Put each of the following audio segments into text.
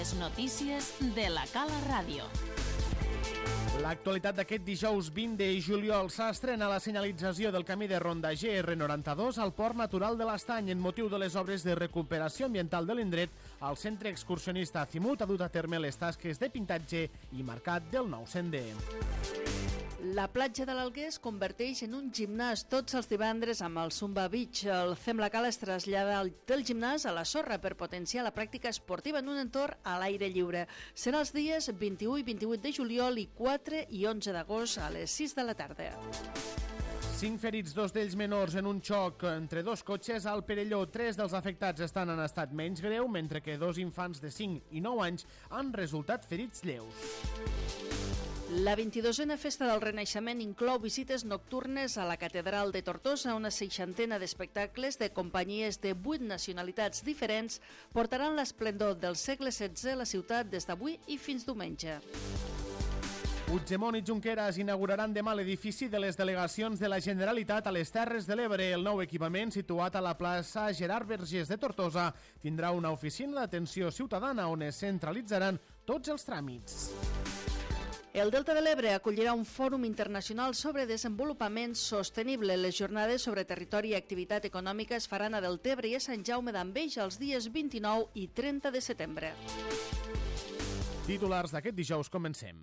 Les notícies de la Cala Ràdio. L'actualitat d'aquest dijous 20 de juliol s'estrena la senyalització del camí de ronda GR92 al Port Natural de l'Estany en motiu de les obres de recuperació ambiental de l'indret. El centre excursionista Azimut ha dut a terme les tasques de pintatge i marcat del nou sender. La platja de l'Alguer es converteix en un gimnàs tots els divendres amb el Zumba Beach. El Fem la Cala es trasllada del gimnàs a la sorra per potenciar la pràctica esportiva en un entorn a l'aire lliure. Serà els dies 21 i 28 de juliol i 4 i 11 d'agost a les 6 de la tarda. 5 ferits, 2 d'ells menors en un xoc entre dos cotxes al Perelló. 3 dels afectats estan en estat menys greu, mentre que 2 infants de 5 i 9 anys han resultat ferits lleus. La 22a Festa del Renaixement inclou visites nocturnes a la Catedral de Tortosa. Una 60ena d'espectacles de companyies de 8 nacionalitats diferents portaran l'esplendor del segle XVI a la ciutat des d'avui i fins diumenge. Puigdemont i Junqueras inauguraran demà l'edifici de les delegacions de la Generalitat a les Terres de l'Ebre. El nou equipament, situat a la plaça Gerard Vergés de Tortosa, tindrà una oficina d'atenció ciutadana on es centralitzaran tots els tràmits. El Delta de l'Ebre acollirà un fòrum internacional sobre desenvolupament sostenible. Les jornades sobre territori i activitat econòmica es faran a Deltebre i a Sant Jaume d'Enveja els dies 29 i 30 de setembre. Titulars d'aquest dijous, comencem.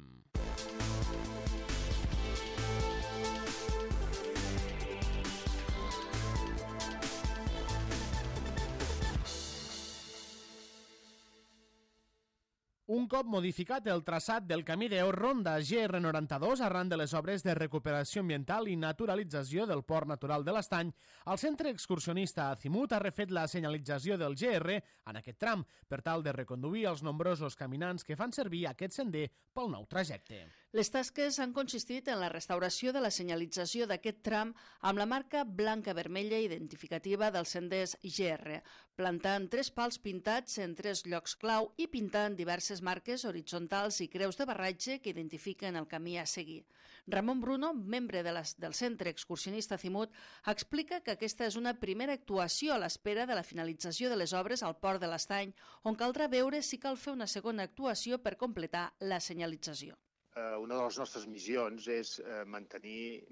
Un cop modificat el traçat del camí de ronda GR92 arran de les obres de recuperació ambiental i naturalització del Port Natural de l'Estany, el centre excursionista Azimut ha refet la senyalització del GR en aquest tram per tal de reconduir els nombrosos caminants que fan servir aquest sender pel nou trajecte. Les tasques han consistit en la restauració de la senyalització d'aquest tram amb la marca blanca-vermella identificativa dels senders GR, plantant 3 pals pintats en 3 llocs clau i pintant diverses marques horitzontals i creus de barratge que identifiquen el camí a seguir. Ramon Bruno, membre del centre excursionista Azimut, explica que aquesta és una primera actuació a l'espera de la finalització de les obres al Port de l'Estany, on caldrà veure si cal fer una segona actuació per completar la senyalització. Una de les nostres missions és mantenir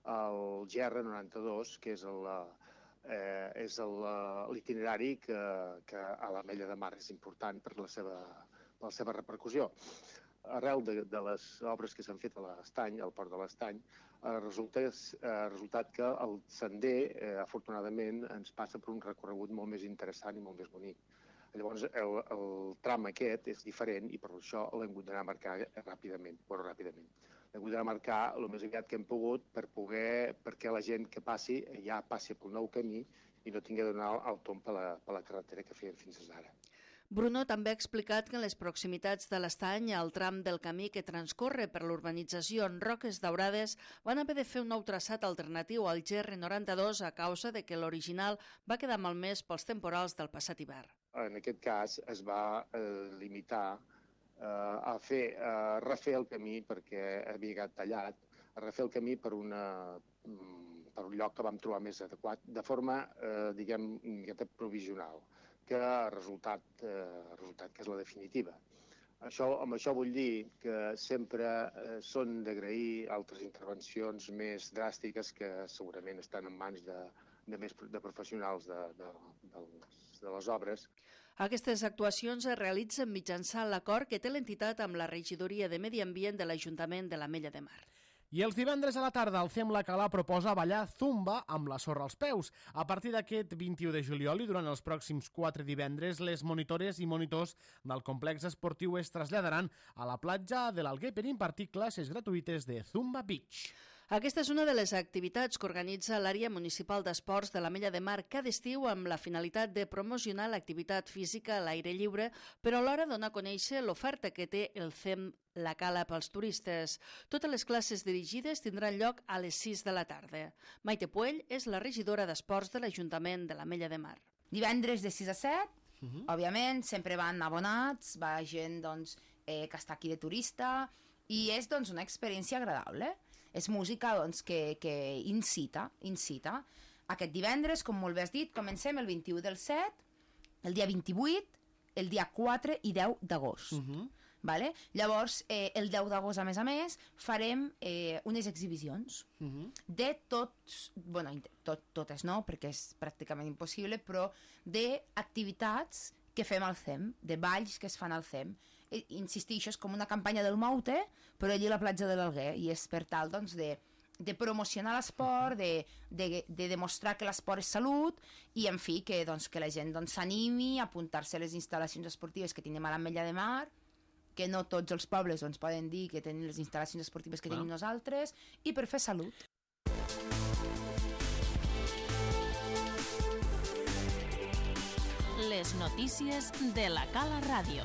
el GR92, que és l'itinerari que a l'Ametlla de Mar és important per la seva repercussió. Arrel de les obres que s'han fet a l'Estany, al Port de l'Estany, ha resultat que el sender, afortunadament, ens passa per un recorregut molt més interessant i molt més bonic. Llavors, el tram aquest és diferent i per això l'hem hagut d'anar a marcar ràpidament. L'hem hagut d'anar a marcar el més aviat que hem pogut perquè la gent que passi ja passi pel nou camí i no tingui de donar el tomb per la carretera que feien fins ara. Bruno també ha explicat que en les proximitats de l'Estany, al tram del camí que transcorre per l'urbanització en Roques Daurades, van haver de fer un nou traçat alternatiu al GR92 a causa de que l'original va quedar malmès pels temporals del passat hivern. En aquest cas es va limitar a refer el camí perquè havia quedat tallat, a refer el camí per un lloc que vam trobar més adequat, de forma, diguem, provisional, que ha resultat que és la definitiva. Amb això vull dir que sempre són d'agrair altres intervencions més dràstiques que segurament estan en mans de professionals de les obres. Aquestes actuacions es realitzen mitjançant l'acord que té l'entitat amb la Regidoria de Medi Ambient de l'Ajuntament de l'Ametlla de Mar. I els divendres a la tarda el Fem la Cala proposa ballar Zumba amb la sorra als peus. A partir d'aquest 21 de juliol i durant els pròxims 4 divendres, les monitores i monitors del complex esportiu es traslladaran a la platja de l'Alguer per impartir classes gratuïtes de Zumba Beach. Aquesta és una de les activitats que organitza l'àrea municipal d'esports de l'Ametlla de Mar cada estiu amb la finalitat de promocionar l'activitat física a l'aire lliure, però alhora donar a conèixer l'oferta que té el Fem la Cala pels turistes. Totes les classes dirigides tindran lloc a les 6 de la tarda. Maite Puell és la regidora d'esports de l'Ajuntament de l'Ametlla de Mar. Divendres de 6 a 7, òbviament, sempre van abonats, va gent que està aquí de turista i és una experiència agradable. És música que incita. Aquest divendres, com molt bé has dit, comencem el 21 del 7, el dia 28 el dia 4 i 10 d'agost. Vale? Llavors, el 10 d'agost, a més, farem unes exhibicions de tots, bueno, totes no, perquè és pràcticament impossible, però d'activitats que fem al CEM, de balls que es fan al CEM. Insistixo, és com una campanya del Maute, però allí a la platja de l'Alguer, i és per tal, doncs, de promocionar l'esport, de demostrar que l'esport és salut, i, en fi, que la gent s'animi a apuntar-se a les instal·lacions esportives que tenim a l'Ametlla de Mar, que no tots els pobles poden dir que tenen les instal·lacions esportives que tenim nosaltres, i per fer salut. Les notícies de la Cala Ràdio.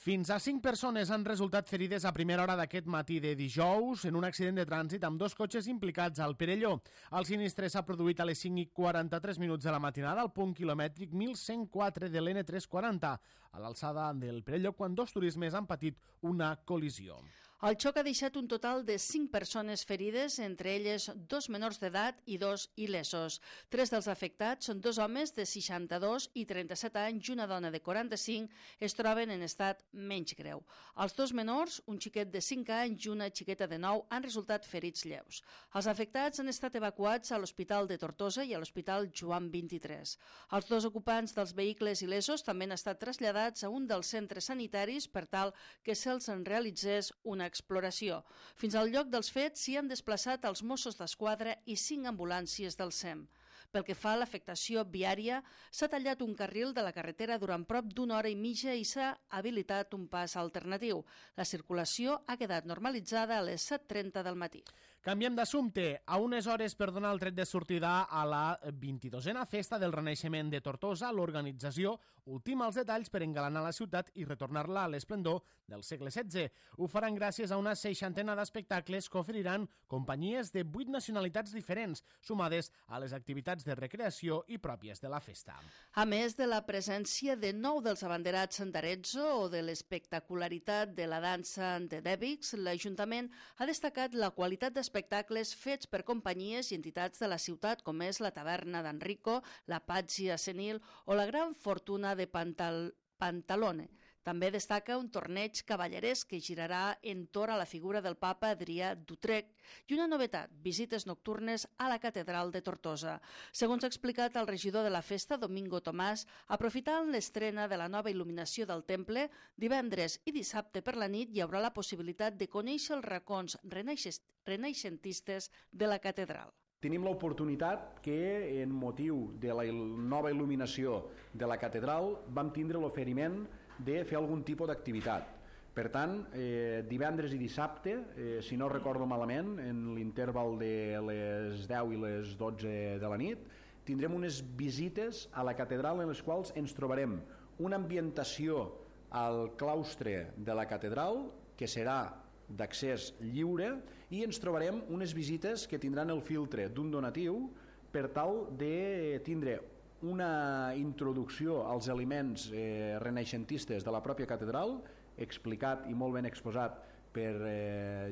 Fins a 5 persones han resultat ferides a primera hora d'aquest matí de dijous en un accident de trànsit amb 2 cotxes implicats al Perelló. El sinistre s'ha produït a les 5:43 de la matinada al punt quilomètric 1104 de l'N340, a l'alçada del Perelló, quan 2 turismes han patit una col·lisió. El xoc ha deixat un total de 5 persones ferides, entre elles 2 menors d'edat i 2 il·lesos. 3 dels afectats són 2 homes de 62 i 37 anys i una dona de 45, es troben en estat menys greu. Els 2 menors, un xiquet de 5 anys i una xiqueta de 9, han resultat ferits lleus. Els afectats han estat evacuats a l'Hospital de Tortosa i a l'Hospital Joan 23. Els 2 ocupants dels vehicles il·lesos també han estat traslladats a un dels centres sanitaris per tal que se'ls en realitzés una exploració. Fins al lloc dels fets s'hi han desplaçat els Mossos d'Esquadra i 5 ambulàncies del SEM. Pel que fa a l'afectació viària, s'ha tallat un carril de la carretera durant prop d'una hora i mitja i s'ha habilitat un pas alternatiu. La circulació ha quedat normalitzada a les 7:30 del matí. Canviem d'assumpte. A unes hores per donar el tret de sortida a la 22a Festa del Renaixement de Tortosa, l'organització ultima els detalls per engalanar la ciutat i retornar-la a l'esplendor del segle XVI. Ho faran gràcies a una 60ena d'espectacles que oferiran companyies de 8 nacionalitats diferents, sumades a les activitats de recreació i pròpies de la festa. A més de la presència de 9 dels abanderats d'Arezzo o de l'espectacularitat de la dansa de Dèbix, l'Ajuntament ha destacat la qualitat d'espectacles fets per companyies i entitats de la ciutat, com és la Taverna d'Enrico, la Pàtzia Senil o la Gran Fortuna de Pantalone. També destaca un torneig cavalleresc que girarà entorn a la figura del papa Adrià d'Utrecht i una novetat, visites nocturnes a la catedral de Tortosa. Segons ha explicat el regidor de la festa, Domingo Tomàs, aprofitant l'estrena de la nova il·luminació del temple, divendres i dissabte per la nit hi haurà la possibilitat de conèixer els racons renaixentistes de la catedral. Tenim l'oportunitat que, en motiu de la nova il·luminació de la catedral, vam tindre l'oferiment de fer algun tipus d'activitat. Per tant, divendres i dissabte, si no recordo malament, en l'interval de les 10 i les 12 de la nit, tindrem unes visites a la catedral en les quals ens trobarem una ambientació al claustre de la catedral, que serà d'accés lliure, i ens trobarem unes visites que tindran el filtre d'un donatiu per tal de tindre una introducció als elements renaixentistes de la pròpia catedral, explicat i molt ben exposat per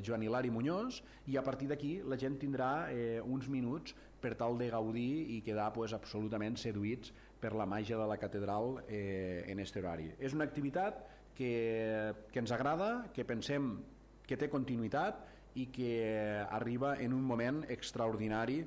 Joan Hilari Muñoz, i a partir d'aquí la gent tindrà uns minuts per tal de gaudir i quedar absolutament seduïts per la màgia de la catedral en aquest horari. És una activitat que ens agrada, que pensem que té continuïtat i que arriba en un moment extraordinari.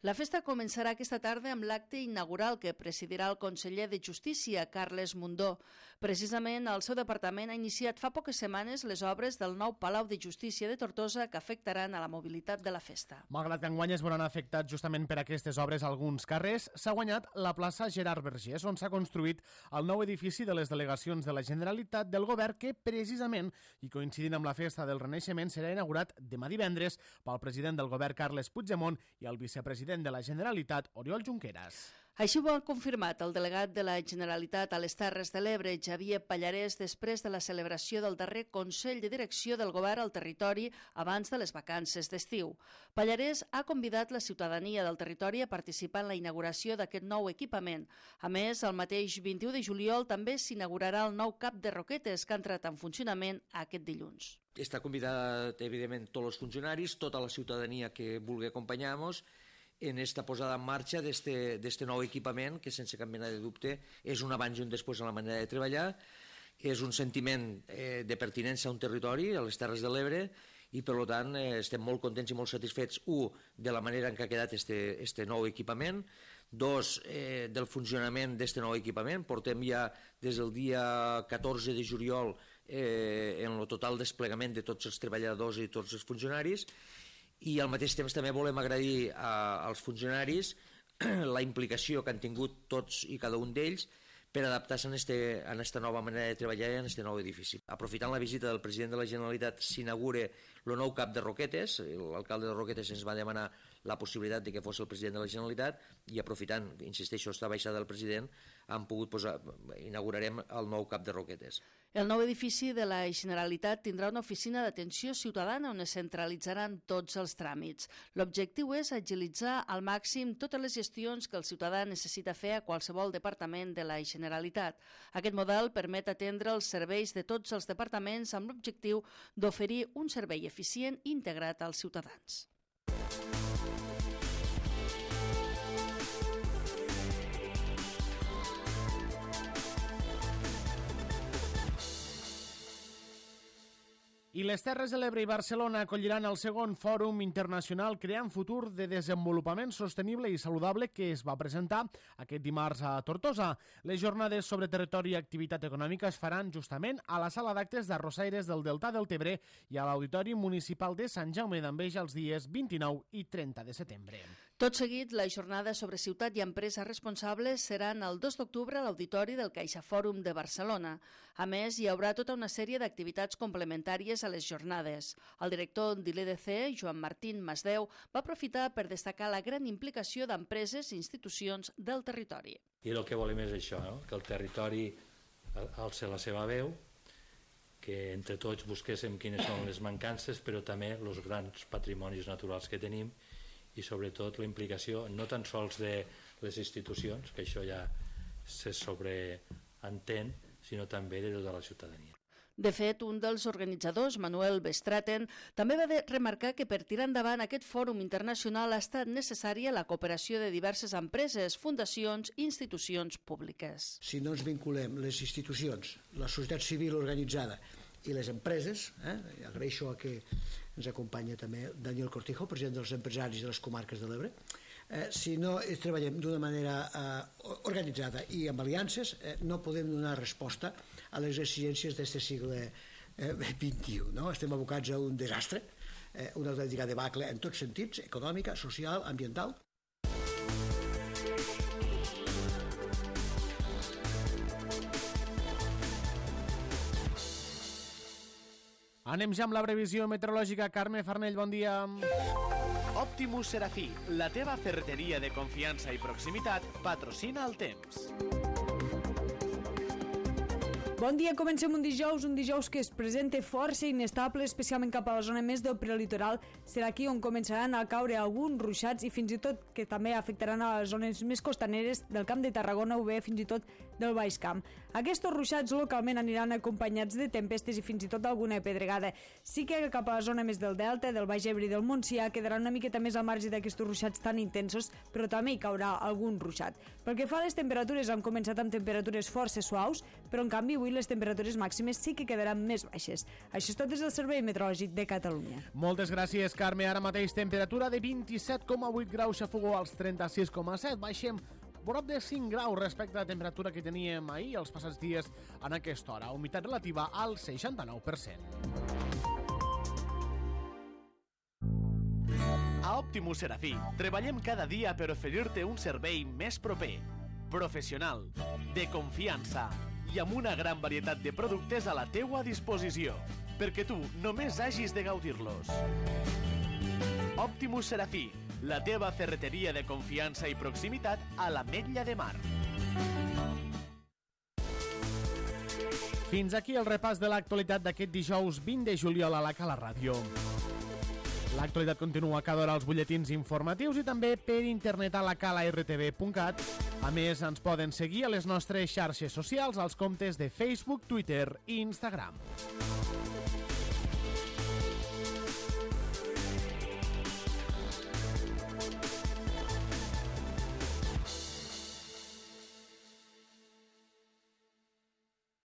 La festa començarà aquesta tarda amb l'acte inaugural que presidirà el conseller de Justícia, Carles Mundó. Precisament, el seu departament ha iniciat fa poques setmanes les obres del nou Palau de Justícia de Tortosa que afectaran a la mobilitat de la festa. Malgrat que enguany es veuran afectats justament per aquestes obres alguns carrers, s'ha guanyat la plaça Gerard Vergés, on s'ha construït el nou edifici de les delegacions de la Generalitat del Govern que, precisament, i coincidint amb la festa del Renaixement, serà inaugurat demà divendres pel president del Govern, Carles Puigdemont, i el vicepresident de la Generalitat, Oriol Junqueras. Així ho ha confirmat el delegat de la Generalitat a les Terres de l'Ebre, Xavier Pallarès, després de la celebració del darrer Consell de Direcció del Govern al territori abans de les vacances d'estiu. Pallarès ha convidat la ciutadania del territori a participar en la inauguració d'aquest nou equipament. A més, el mateix 21 de juliol també s'inaugurarà el nou cap de roquetes que ha entrat en funcionament aquest dilluns. Està convidat, evidentment, tots els funcionaris, tota la ciutadania que vulgui acompanyar-nos, en esta posada en marxa d'este nou equipament, que sense cap mena de dubte és un abans i un després en la manera de treballar, és un sentiment de pertinença a un territori, a les Terres de l'Ebre, i per tant estem molt contents i molt satisfets, de la manera en què ha quedat este nou equipament, del funcionament d'este nou equipament. Portem ja des del dia 14 de juliol en el total desplegament de tots els treballadors i tots els funcionaris, i al mateix temps també volem agrair als funcionaris la implicació que han tingut tots i cada un d'ells per adaptar-se a aquesta nova manera de treballar i a aquest nou edifici. Aprofitant la visita del president de la Generalitat, s'inaugura el nou CAP de Roquetes. L'alcalde de Roquetes ens va demanar la possibilitat de que fos el president de la Generalitat, i aprofitant, insisteixo, esta baixada del president, inaugurarem el nou CAP de Roquetes. El nou edifici de la Generalitat tindrà una oficina d'atenció ciutadana on es centralitzaran tots els tràmits. L'objectiu és agilitzar al màxim totes les gestions que el ciutadà necessita fer a qualsevol departament de la Generalitat. Aquest model permet atendre els serveis de tots els departaments amb l'objectiu d'oferir un servei eficient i integrat als ciutadans. I les Terres de l'Ebre i Barcelona acolliran el segon Fòrum Internacional Creant Futur de Desenvolupament Sostenible i Saludable que es va presentar aquest dimarts a Tortosa. Les jornades sobre territori i activitat econòmica es faran justament a la sala d'actes d'Arrossaires del Delta del Tebre i a l'Auditori Municipal de Sant Jaume d'Enveja els dies 29 i 30 de setembre. Tot seguit, la jornada sobre ciutat i empresa responsables seran el 2 d'octubre a l'Auditori del CaixaFòrum de Barcelona. A més, hi haurà tota una sèrie d'activitats complementàries a les jornades. El director de l'EDC, Joan Martín Masdeu, va aprofitar per destacar la gran implicació d'empreses i institucions del territori. I el que volem és això, que el territori alci la seva veu, que entre tots busquéssim quines són les mancances, però també els grans patrimonis naturals que tenim, i sobretot la implicació no tan sols de les institucions, que això ja se sobreentén, sinó també de tota la ciutadania. De fet, un dels organitzadors, Manuel Bestraten, també va remarcar que per tirar endavant aquest fòrum internacional ha estat necessària la cooperació de diverses empreses, fundacions i institucions públiques. Si no ens vinculem les institucions, la societat civil organitzada i les empreses, agraeixo que ens acompanya també Daniel Cortijo, president dels empresaris de les comarques de l'Ebre. Si no treballem d'una manera organitzada i amb aliances, no podem donar resposta a les exigències d'aquest segle XXI. Estem abocats a un desastre, una autèntica debacle en tots sentits, econòmica, social, ambiental. Anem ja amb la previsió meteorològica. Carme Farnell, bon dia. Optimus Serafí, la teva ferreteria de confiança i proximitat, patrocina el temps. Bon dia, comencem un dijous que es presenta força inestable, especialment cap a la zona més del prelitoral. Serà aquí on començaran a caure alguns ruixats i fins i tot que també afectaran a les zones més costaneres del Camp de Tarragona o bé fins i tot del Baix Camp. Aquests ruixats localment aniran acompanyats de tempestes i fins i tot alguna pedregada. Sí que cap a la zona més del Delta, del Baix Ebre i del Montsià quedaran una miqueta més al marge d'aquests ruixats tan intensos, però també hi caurà algun ruixat. Pel que fa a les temperatures, han començat amb temperatures força suaus, però en canvi avui les temperatures màximes sí que quedaran més baixes. Això és tot des del Servei Meteorològic de Catalunya. Moltes gràcies, Carme. Ara mateix temperatura de 27,8 graus a Fogó, als 36,7. Baixem prop de 5 graus respecte a la temperatura que teníem ahir els passats dies en aquesta hora. Humitat relativa al 69%. A Optimus Serafí treballem cada dia per oferir-te un servei més proper, professional, de confiança i amb una gran varietat de productes a la teua disposició, perquè tu només hagis de gaudir-los. Optimus Serafí, la teva ferreteria de confiança i proximitat a l'Ametlla de Mar. Fins aquí el repàs de l'actualitat d'aquest dijous 20 de juliol a la Cala Ràdio. L'actualitat continua cada hora als butlletins informatius i també per internet a lacalartv.cat. A més, ens poden seguir a les nostres xarxes socials, als comptes de Facebook, Twitter i Instagram.